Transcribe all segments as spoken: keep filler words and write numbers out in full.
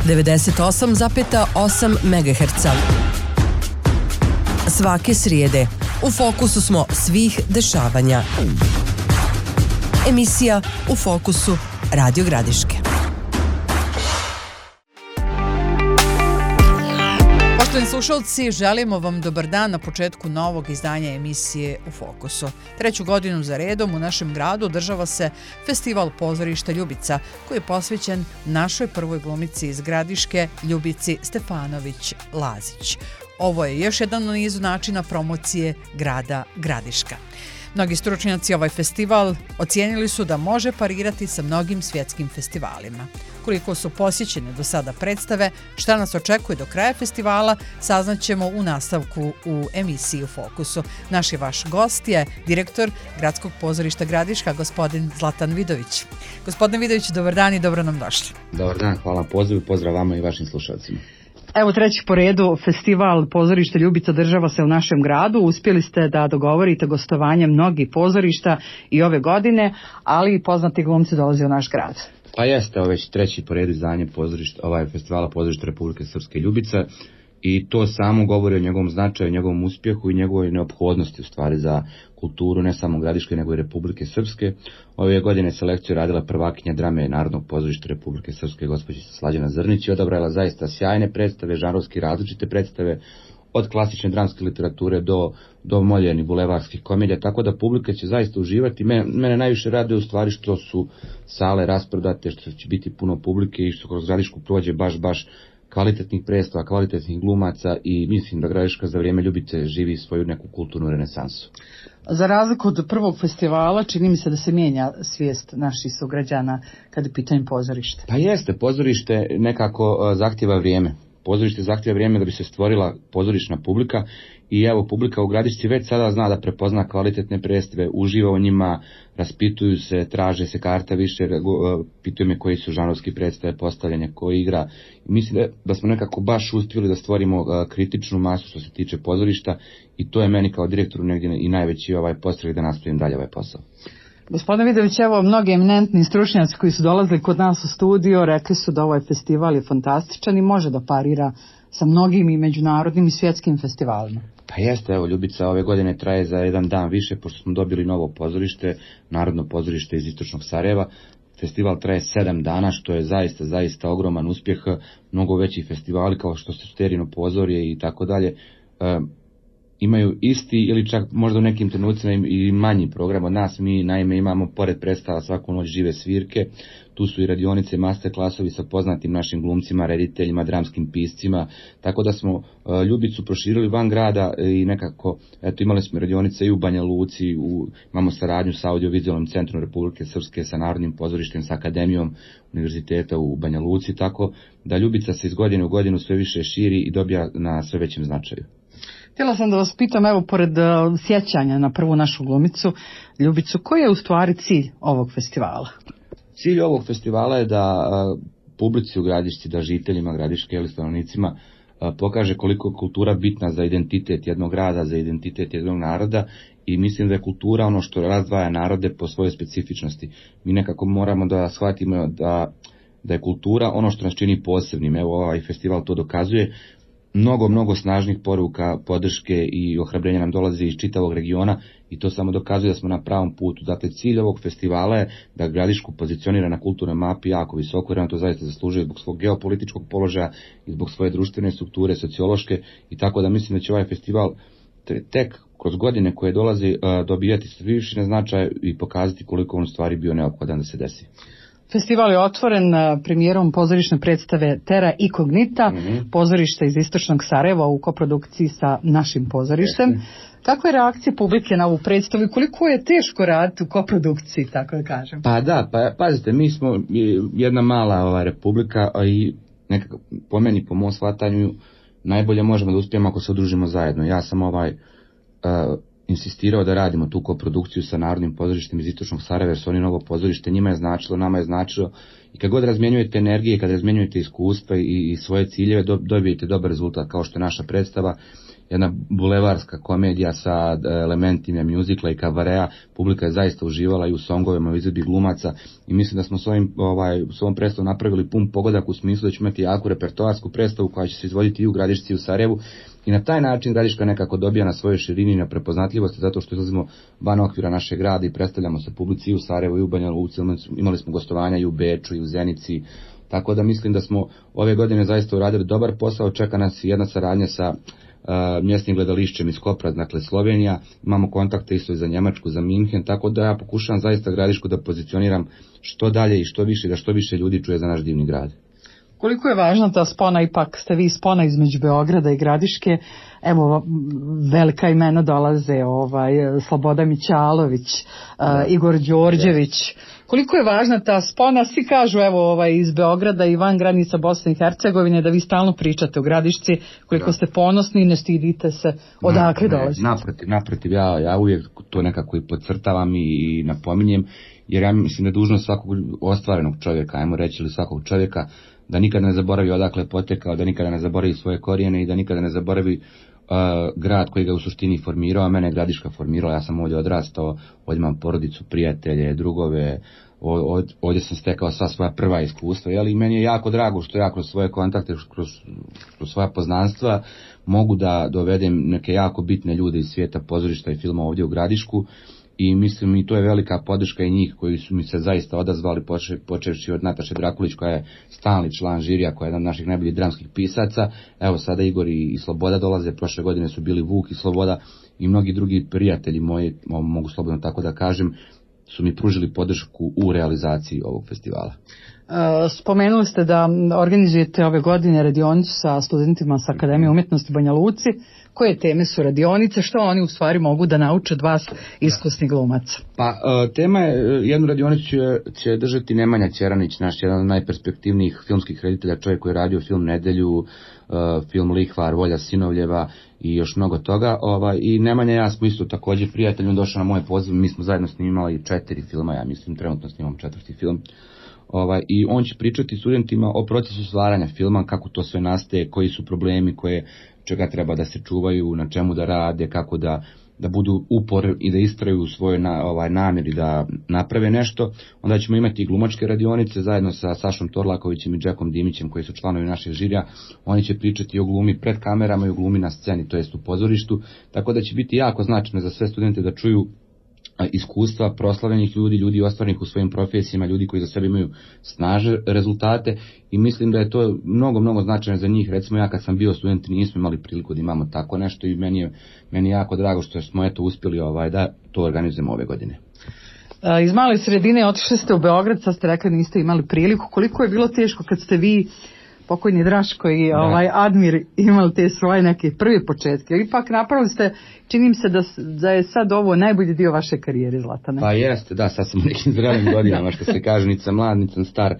devedeset osam zarez osam megaherca. Svake srijede u fokusu smo svih dešavanja. Emisija U fokusu Radio Gradiške. Poštovani slušalci, želimo vam dobar dan na početku novog izdanja emisije U fokusu. Treću godinu za redom u našem gradu održava se Festival pozorišta Ljubica, koji je posvećen našoj prvoj glumici iz Gradiške, Ljubici Stefanović-Lazić. Ovo je još jedan u nizu načina promocije grada Gradiška. Mnogi stručnjaci ovaj festival ocijenili su da može parirati sa mnogim svjetskim festivalima. Koliko su posjećene do sada predstave, šta nas očekuje do kraja festivala, saznaćemo u nastavku u emisiji U fokusu. Naš je vaš gost je direktor Gradskog pozorišta Gradiška, gospodin Zlatan Vidović. Gospodine Vidović, dobar dan i dobro nam došli. Dobar dan, hvala na pozivu, pozdrav vama i vašim slušalcima. Evo treći po redu festival pozorišta Ljubica država se u našem gradu. Uspjeli ste da dogovorite gostovanje mnogih pozorišta i ove godine, ali i poznati glumci dolaze u naš grad. Pa jeste, ovo već treći po redu izdanje pozorišta, ovaj festivala pozorišta Republike Srpske Ljubica i to samo govori o njegovom značaju, njegovom uspjehu i njegovoj neophodnosti u stvari za kulturu ne samo Gradiške nego i Republike Srpske. Ove godine selekciju radila prvakinja drame Narodnog pozorišta Republike Srpske gospođica Slađana Zrnić i odabrala zaista sjajne predstave, žanrovski različite predstave, od klasične dramske literature do, do moljenih bulevarskih komedija, tako da publika će zaista uživati. Mene, mene najviše raduje u stvari što su sale rasprodate, što će biti puno publike i što kroz Gradišku prođe baš, baš kvalitetnih predstava, kvalitetnih glumaca i mislim da Gradiška za vrijeme Ljubice živi svoju neku kulturnu renesansu. Za razliku od prvog festivala, čini mi se da se mijenja svijest naših sugrađana kada je pitanje pozorište. Pa jeste, pozorište nekako uh, zahtjeva vrijeme. Pozorište zahtjeva vrijeme da bi se stvorila pozorišna publika i evo publika u Gradišci već sada zna da prepozna kvalitetne predstave, uživa u njima, raspituju se, traže se karta više, pitaju me koji su žanrovski predstave, postavljanje, ko igra. Mislim da smo nekako baš uspjeli da stvorimo kritičnu masu što se tiče pozorišta i to je meni kao direktoru negdje i najveći ovaj postreh da nastavim dalje ovaj posao. Gospodine Vidović, evo mnogi eminentni stručnjaci koji su dolazili kod nas u studio rekli su da ovaj festival je fantastičan i može da parira sa mnogim i međunarodnim i svjetskim festivalima. Pa jeste, evo Ljubica ove godine traje za jedan dan više pošto smo dobili novo pozorište, Narodno pozorište iz Istočnog Sarajeva. Festival traje sedam dana, što je zaista, zaista ogroman uspjeh, mnogo veći festivali kao što su Sterino pozorje i tako dalje. Imaju isti ili čak možda u nekim trenucima i manji program od nas. Mi naime imamo pored predstava svaku noć žive svirke, tu su i radionice, master klasovi sa poznatim našim glumcima, rediteljima, dramskim piscima, tako da smo uh, Ljubicu proširili van grada i nekako, eto imali smo radionice i u Banja Luci, u, imamo saradnju sa Audiovizualnim centrom Republike Srpske, sa Narodnim pozorištem, sa Akademijom univerziteta u Banja Luci, tako da Ljubica se iz godine u godinu sve više širi i dobija na sve većem značaju. Htjela sam da vas pitam, evo, pored uh, sjećanja na prvu našu glumicu, Ljubicu, koji je u stvari cilj ovog festivala? Cilj ovog festivala je da uh, publici u Gradišci, da žiteljima Gradiške ili stanovnicima uh, pokaže koliko je kultura bitna za identitet jednog grada, za identitet jednog naroda i mislim da je kultura ono što razdvaja narode po svojoj specifičnosti. Mi nekako moramo da shvatimo da, da je kultura ono što nas čini posebnim. Evo ovaj festival to dokazuje. Mnogo, mnogo snažnih poruka, podrške i ohrabrenja nam dolazi iz čitavog regiona i to samo dokazuje da smo na pravom putu. Dakle, cilj ovog festivala je da Gradišku pozicionira na kulturnoj mapi jako visoko, jer on to zaista zaslužuje zbog svog geopolitičkog položaja i zbog svoje društvene strukture, sociološke i tako da mislim da će ovaj festival tek kroz godine koje dolazi dobijati sve više na značaj i pokazati koliko on u stvari bio neophodan da se desi. Festival je otvoren premijerom pozorišne predstave Terra Incognita, mm-hmm. pozorište iz Istočnog Sarajeva u koprodukciji sa našim pozorištem. Jeste. Kakva je reakcija publike na ovu predstavu i koliko je teško raditi u koprodukciji, tako da kažem? Pa da, pa pazite, mi smo jedna mala ova republika i nekako po meni, po mom shvatanju, najbolje možemo da uspijemo ako se udružimo zajedno. Ja sam ovaj... Uh, insistirao da radimo tu koprodukciju sa Narodnim pozorištem iz Istočnog Sarajeva, jer su oni novo pozorište, njima je značilo, nama je značilo i kad god razmjenjujete energije, kad razmjenjujete iskustva i, i svoje ciljeve, do, dobijete dobar rezultat kao što je naša predstava jedna bulevarska komedija sa elementima muzikla i kavarea. Publika je zaista uživala i u songovima, u izvedbi glumaca i mislim da smo s ovim, ovaj, s ovom predstavom napravili pun pogodak u smislu da ćemo imati jaku repertoarsku predstavu koja će se izvoditi i u Gradišci i u Sarajevu. I na taj način Gradiška nekako dobija na svojoj širini i na prepoznatljivosti zato što izlazimo van okvira našeg grada i predstavljamo se publici i u Sarajevu i u Banja Luci. Imali smo gostovanja i u Beču i u Zenici. Tako da mislim da smo ove godine zaista uradili dobar posao. Čeka nas jedna saradnja sa uh, mjesnim gledališćem iz Kopra, dakle Slovenija. Imamo kontakte isto i za Njemačku, za Minhen, tako da ja pokušavam zaista Gradišku da pozicioniram što dalje i što više, da što više ljudi čuje za naš divni grad. Koliko je važna ta spona, ipak ste vi spona između Beograda i Gradiške, evo velika imena dolaze, ovaj, Sloboda Mićalović, uh, Igor Đorđević, koliko je važna ta spona, svi kažu evo ovaj, iz Beograda i van granica Bosne i Hercegovine da vi stalno pričate o Gradišci, koliko da. Ste ponosni i ne stidite se odakle dolazite. Naprotiv, naprotiv, ja, ja uvijek to nekako i podcrtavam i, i napominjem, jer ja mislim da je dužnost svakog ostvarenog čovjeka, ajmo reći, ili svakog čovjeka, da nikada ne zaboravi odakle potekao, da nikada ne zaboravi svoje korijene i da nikada ne zaboravi uh, grad koji ga u suštini formirao, a mene je Gradiška formirala. Ja sam ovdje odrastao, ovdje imam porodicu, prijatelje, drugove, ovdje sam stekao sva svoja prva iskustva, jel? I meni je jako drago što ja kroz svoje kontakte, kroz, kroz svoja poznanstva mogu da dovedem neke jako bitne ljude iz svijeta pozorišta i filma ovdje u Gradišku. I mislim i to je velika podrška i njih koji su mi se zaista odazvali, počevši od Nataše Drakulić koja je stalni član žirija, koja je jedan od naših najboljih dramskih pisaca. Evo sada Igor i Sloboda dolaze, prošle godine su bili Vuk i Sloboda i mnogi drugi prijatelji moji, mogu slobodno tako da kažem, su mi pružili podršku u realizaciji ovog festivala. Spomenuli ste da organizujete ove godine radionicu sa studentima sa Akademije umjetnosti Banja Luci. Koje teme su radionice, što oni u stvari mogu da nauče od vas iskusnih glumaca? Pa tema je, jednu radionicu će, će držati Nemanja Ćeranić, naš jedan od najperspektivnijih filmskih reditelja, čovjek koji je radio film Nedelju, film Lihvar, Volja Sinovljeva i još mnogo toga. Ovaj, I Nemanja i ja smo isto također prijatelji, on došao na moje poziv, mi smo zajedno snimali četiri filma, ja mislim trenutno snimam četvrti film. Ovaj, I on će pričati studentima o procesu stvaranja filma, kako to sve nastaje, koji su problemi, koje, čega treba da se čuvaju, na čemu da rade, kako da, da budu upor i da istraju u svojoj na, ovaj, namjeri da naprave nešto. Onda ćemo imati i glumačke radionice zajedno sa Sašom Torlakovićem i Džekom Dimićem koji su članovi našeg žirija. Oni će pričati o glumi pred kamerama i o glumi na sceni, to jest u pozorištu, tako da će biti jako značajno za sve studente da čuju iskustva proslavljenih ljudi, ljudi ostvarenih u svojim profesijama, ljudi koji za sebe imaju snažne rezultate i mislim da je to mnogo, mnogo značajno za njih. Recimo ja kad sam bio student nismo imali priliku da imamo tako nešto i meni je, meni je jako drago što smo eto uspjeli ovaj, da to organizujemo ove godine. Iz male sredine otišli ste u Beograd, sad ste rekli niste imali priliku. Koliko je bilo teško kad ste vi, pokojni Draško i ovaj Admir, imali te svoje neke prve početke? Ipak napravili ste, čini mi se da, da je sad ovo najbolji dio vaše karijere, Zlatane. Pa jeste, da, sad sam u nekim zrelim godinama, što se kaže, nic sam mlad, nic sam star.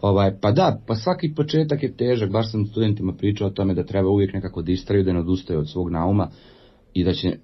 Ovaj, pa da, pa svaki početak je težak, baš sam studentima pričao o tome da treba uvijek nekako da istraju, da ne odustaju od svog nauma i da će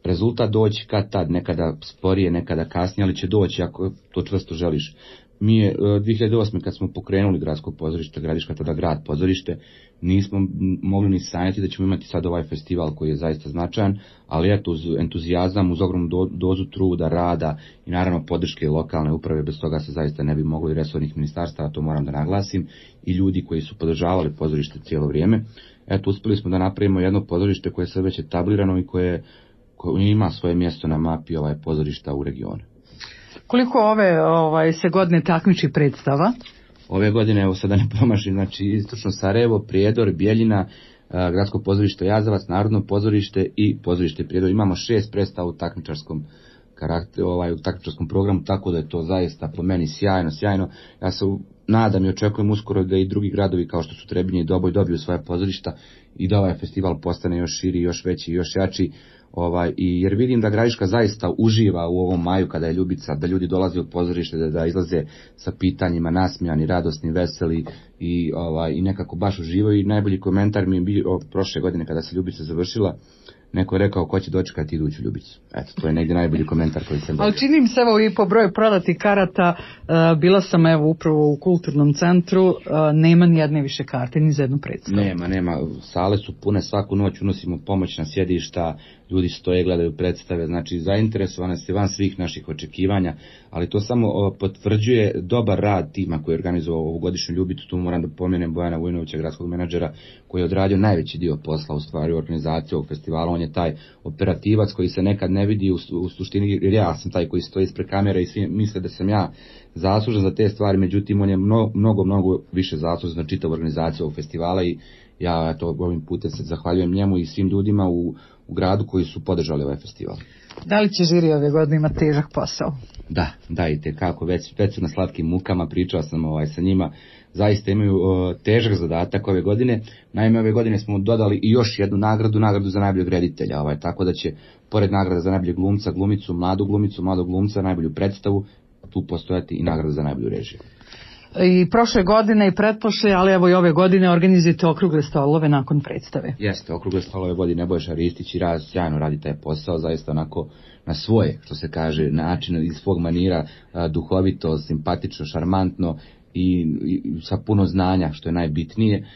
rezultat doći kad tad, nekada sporije, nekada kasnije, ali će doći ako to čvrsto želiš. Mi je dvije hiljade osme kad smo pokrenuli gradsko pozorište, Gradiška tada grad pozorište, nismo mogli ni sanjati da ćemo imati sad ovaj festival koji je zaista značajan, ali eto uz entuzijazam, uz ogromnu do, dozu truda, rada i naravno podrške lokalne uprave, bez toga se zaista ne bi moglo i resornih ministarstava, to moram da naglasim, i ljudi koji su podržavali pozorište cijelo vrijeme. Eto, uspjeli smo da napravimo jedno pozorište koje je sve već etablirano i koje, koje ima svoje mjesto na mapi ovaj pozorišta u regionu. Koliko ove ovaj, se godine takmiči predstava? Ove godine, evo sada ne promašim, znači istočno Sarajevo, Prijedor, Bijeljina, Gradsko pozorište Jazavac, Narodno pozorište i pozorište Prijedor. Imamo šest predstava u takmičarskom karakteru, ovaj, u takmičarskom programu, tako da je to zaista po meni sjajno, sjajno. Ja se nadam i očekujem uskoro da i drugi gradovi kao što su Trebinje i Doboj dobiju svoje pozorišta i da ovaj festival postane još širi, još veći, još jači. Ovaj, i jer vidim da Gradiška zaista uživa u ovom maju kada je Ljubica, da ljudi dolaze u pozorište, da, da izlaze sa pitanjima, nasmijani, radosni, veseli i, ovaj, i nekako baš uživaju. I najbolji komentar mi je bio prošle godine kada se Ljubica završila, neko je rekao ko će dočekati iduću Ljubicu. Eto, to je negdje najbolji komentar koji sam dobio. Ali čini mi se, evo i po broju prodatih karata, uh, bila sam evo upravo u kulturnom centru, uh, nema ni jedne više karte, ni za jednu predstavu. Nema, nema, sale su pune, svaku noć unosimo pomoćna sjedišta, ljudi stoje, gledaju predstave, znači zainteresovane se van svih naših očekivanja, ali to samo potvrđuje dobar rad tima koji je organizovao ovu godišnju Ljubicu. Tu moram da pomenem Bojana Vujnovića, gradskog menadžera, koji je odradio najveći dio posla u stvari u organizaciji ovog festivala. On je taj operativac koji se nekad ne vidi u, u suštini, jer ja sam taj koji stoji ispred kamere i svi misle da sam ja zaslužan za te stvari, međutim on je mnogo, mnogo, mnogo više zaslužan za čitavu organizaciju ovog festivala i ja to ovim putem se zahvaljujem njemu i svim ljudima u, u gradu koji su podržali ovaj festival. Da li će žiri ove godine imati težak posao? Da, da i tekako, već, već su na slatkim mukama, pričao sam ovaj, sa njima, zaista imaju o, težak zadatak ove godine. Naime, ove godine smo dodali i još jednu nagradu, nagradu za najboljeg reditelja, ovaj, tako da će, pored nagrada za najboljeg glumca, glumicu, mladu glumicu, mladog glumca, najbolju predstavu, tu postojati i nagrada za najbolju režiju. I prošle godine i pretprošle, ali evo i ove godine organizujete okrugle stolove nakon predstave. Jeste, okrugle stolove vodi Nebojša Ristić i raz, sjajno radi taj posao, zaista onako na svoje, što se kaže, način iz svog manira, duhovito, simpatično, šarmantno i, i sa puno znanja, što je najbitnije.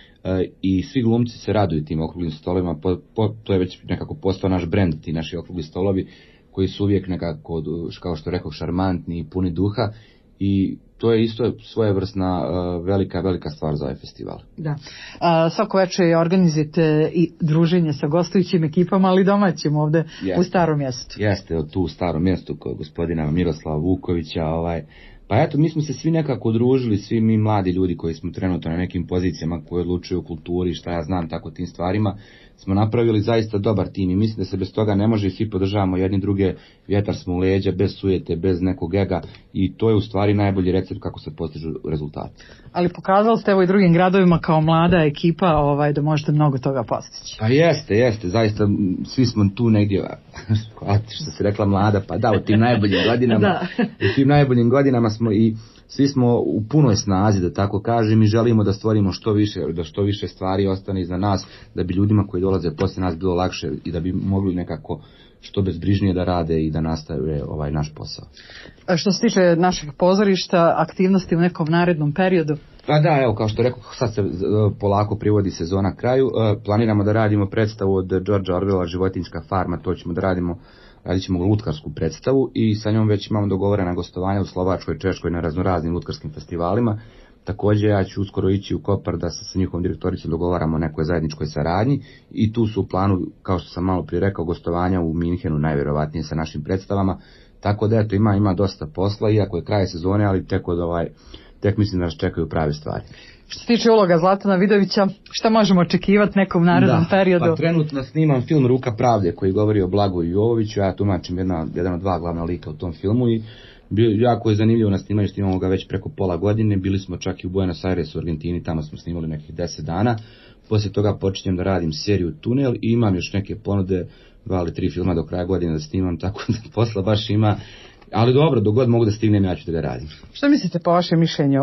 I svi glumci se raduju tim okruglim stolovima, po, po, to je već nekako postao naš brend, ti naši okrugli stolovi, koji su uvijek nekako, kao što rekao, šarmantni i puni duha. I to je isto svojevrsna uh, velika, velika stvar za ovaj festival. Da. A, svako večer organizujete i druženje sa gostujućim ekipama, ali domaćim ovde Jeste. u Starom mjestu. Jeste, tu u Starom mjestu kod gospodina Miroslava Vukovića. Ovaj, pa eto, mi smo se svi nekako družili, svi mi mladi ljudi koji smo trenutno na nekim pozicijama koji odlučuju o kulturi, šta ja znam, tako tim stvarima, smo napravili zaista dobar tim i mislim da se bez toga ne može i svi podržavamo jedni druge, vjetar smo u leđa, bez sujete, bez nekog ega i to je u stvari najbolji recept kako se postižu rezultati. Ali pokazali ste evo i drugim gradovima kao mlada ekipa ovaj, da možete mnogo toga postići. Pa jeste, jeste, zaista svi smo tu negdje, što se rekla mlada, pa da, u tim najboljim godinama, u tim najboljim godinama smo i svi smo u punoj snazi, da tako kažem, i želimo da stvorimo što više, da što više stvari ostane iza nas, da bi ljudima koji dolaze poslije nas bilo lakše i da bi mogli nekako što bezbrižnije da rade i da nastave ovaj naš posao. A što se tiče našeg pozorišta, aktivnosti u nekom narednom periodu? Pa da, evo, kao što rekao, sad se polako privodi sezona kraju. Planiramo da radimo predstavu od Georgea Orwella, Životinjska farma, to ćemo da radimo, radit ćemo lutkarsku predstavu i sa njom već imamo dogovorena gostovanja u Slovačkoj, Češkoj na raznoraznim lutkarskim festivalima. Također ja ću uskoro ići u Kopar da se sa njihovom direktoricom dogovaramo o nekoj zajedničkoj saradnji i tu su u planu, kao što sam malo prije rekao, gostovanja u Minhenu najvjerovatnije sa našim predstavama. Tako da eto, ima, ima dosta posla, iako je kraj sezone, ali tek od ovaj, tek mislim da nas čekaju prave stvari. Što se tiče uloga Zlatana Vidovića, šta možemo očekivati nekom narednom da, periodu? Pa trenutno snimam film Ruka pravde koji govori o Blagoju Jovoviću, ja tumačim jedna, jedan od dva glavna lika u tom filmu i bio, jako je zanimljivo na snimanju, snimamo ga već preko pola godine, bili smo čak i u Buenos Airesu u Argentini, tamo smo snimali nekih deset dana, poslije toga počinjem da radim seriju Tunel i imam još neke ponude, dva ili tri filma do kraja godine da snimam, tako da posla baš ima. Ali dobro, dok god mogu da stignem, ja ću da ga radim. Što mislite po vašem mišljenju,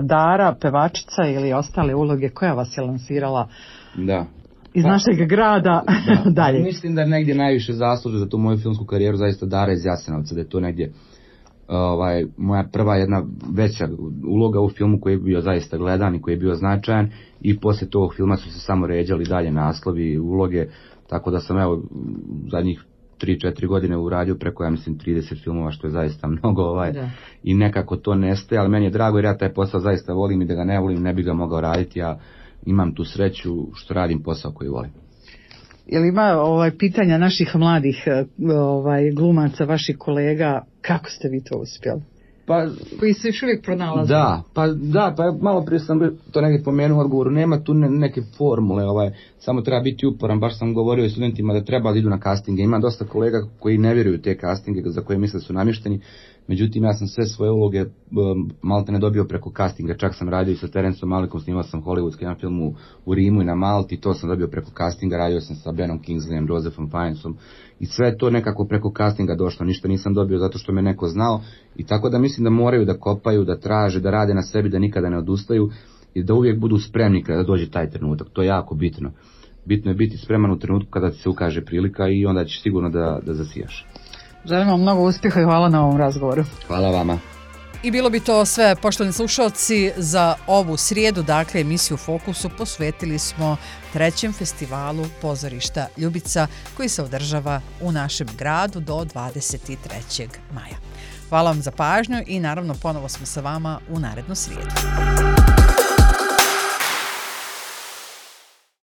Dara, pevačica ili ostale uloge, koja vas je lansirala da. iz pa, našeg grada da. dalje? Mislim da negdje najviše zasluže za tu moju filmsku karijeru zaista Dara iz Jasenovca, da je to negdje ovaj, moja prva jedna veća uloga u filmu koji je bio zaista gledan i koji je bio značajan i poslije tog filma su se samo ređali dalje naslovi i uloge, tako da sam evo zadnjih tri četiri godine uradio preko, ja mislim, trideset filmova, što je zaista mnogo, ovaj, da. I nekako to nestaje, ali meni je drago jer ja taj posao zaista volim i da ga ne volim, ne bi ga mogao raditi, ja imam tu sreću što radim posao koji volim. Jel ima ovaj, pitanja naših mladih ovaj, glumaca, vaših kolega, kako ste vi to uspjeli? Pa, koji se još uvijek pronalaze. Da, pa da, pa malo prije sam to negdje pomenuo u odgovoru, nema tu ne, neke formule, ovaj, samo treba biti uporan, baš sam govorio i studentima da treba da idu na castinge, ima dosta kolega koji ne vjeruju te castinge za koje misle su namješteni, međutim ja sam sve svoje uloge malte ne dobio preko castinga, čak sam radio i sa Terencom Malikom, snimao sam hollywoodski jedan film u, u Rimu i na Malti, to sam dobio preko castinga, radio sam sa Benom Kingsleyem, Josephom Fiennesom i sve to nekako preko castinga došlo, ništa nisam dobio zato što me neko znao i tako da mislim da moraju da kopaju, da traže, da rade na sebi, da nikada ne odustaju i da uvijek budu spremni kada dođe taj trenutak, to je jako bitno. bitno je biti spreman u trenutku kada ti se ukaže prilika i onda ćeš sigurno da, da zasijaš. Želim vam mnogo uspjeha i hvala na ovom razgovoru. Hvala vama. I bilo bi to sve, poštovani slušalci, za ovu srijedu. Dakle, emisiju Fokusu posvetili smo trećem festivalu pozorišta Ljubica koji se održava u našem gradu do dvadeset trećeg maja. Hvala vam za pažnju i naravno ponovo smo sa vama u narednu srijedu.